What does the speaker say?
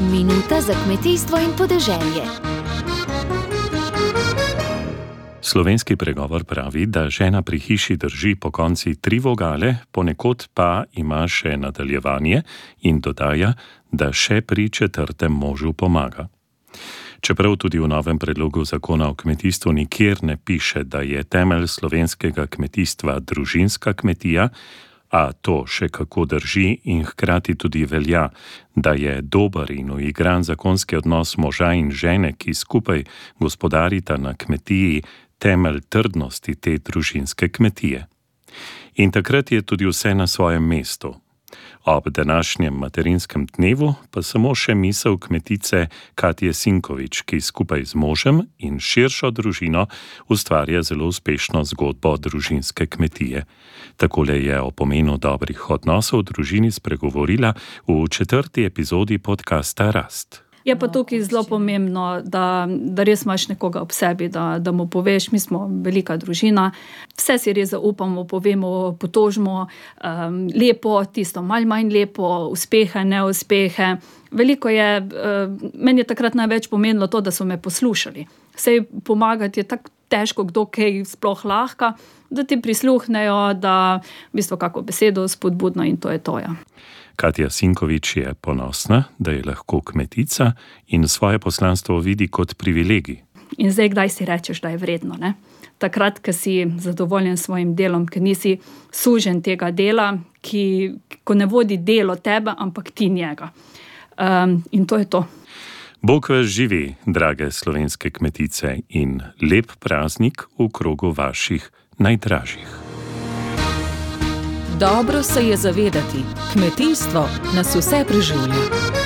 Minuta za kmetijstvo in podeželje. Slovenski pregovor pravi, da žena pri hiši drži pokonci 3 vogale, ponekod pa ima še nadaljevanje in dodaja, da še pri 4. možu pomaga. Čeprav tudi v novem predlogu zakona o kmetijstvu nikjer ne piše, da je temelj slovenskega kmetijstva družinska kmetija, a to še kako drži in hkrati tudi velja, da je dober in uigran zakonski odnos moža in žene, ki skupaj gospodarita na kmetiji, temelj trdnosti te družinske kmetije. In takrat je tudi vse na svojem mestu. Ob današnjem materinskem dnevu pa samo še misel kmetice Katje Sinkovič, ki skupaj z možem in širšo družino ustvarja zelo uspešno zgodbo družinske kmetije. Takole je o pomenu dobrih odnosov v družini spregovorila v 4. epizodi podcasta Rast. Je pa tukaj zelo pomembno, da res imaš nekoga ob sebi, da mu poveš, mi smo velika družina, vse si res zaupamo, povemo, potožimo, lepo, tisto malo manj lepo, uspehe, neuspehe. Veliko je, meni je takrat največ pomenilo to, da so me poslušali. Sej pomagati je tako težko, kdo kaj sploh lahko, da ti prisluhnejo, da v bistvu kako besedo spodbudno in to je to, ja. Katja Sinkovič je ponosna, da je lahko kmetica in svoje poslanstvo vidi kot privilegij. In zdaj, kdaj si rečeš, da je vredno, ne? Takrat, ko si zadovoljen s svojim delom, ker nisi sužen tega dela, ko ne vodi delo tebe, ampak ti njega. In to je to. Bog vas živi, drage slovenske kmetice, in lep praznik v krogu vaših najdražjih. Dobro se je zavedati, kmetijstvo nas vse preživlja.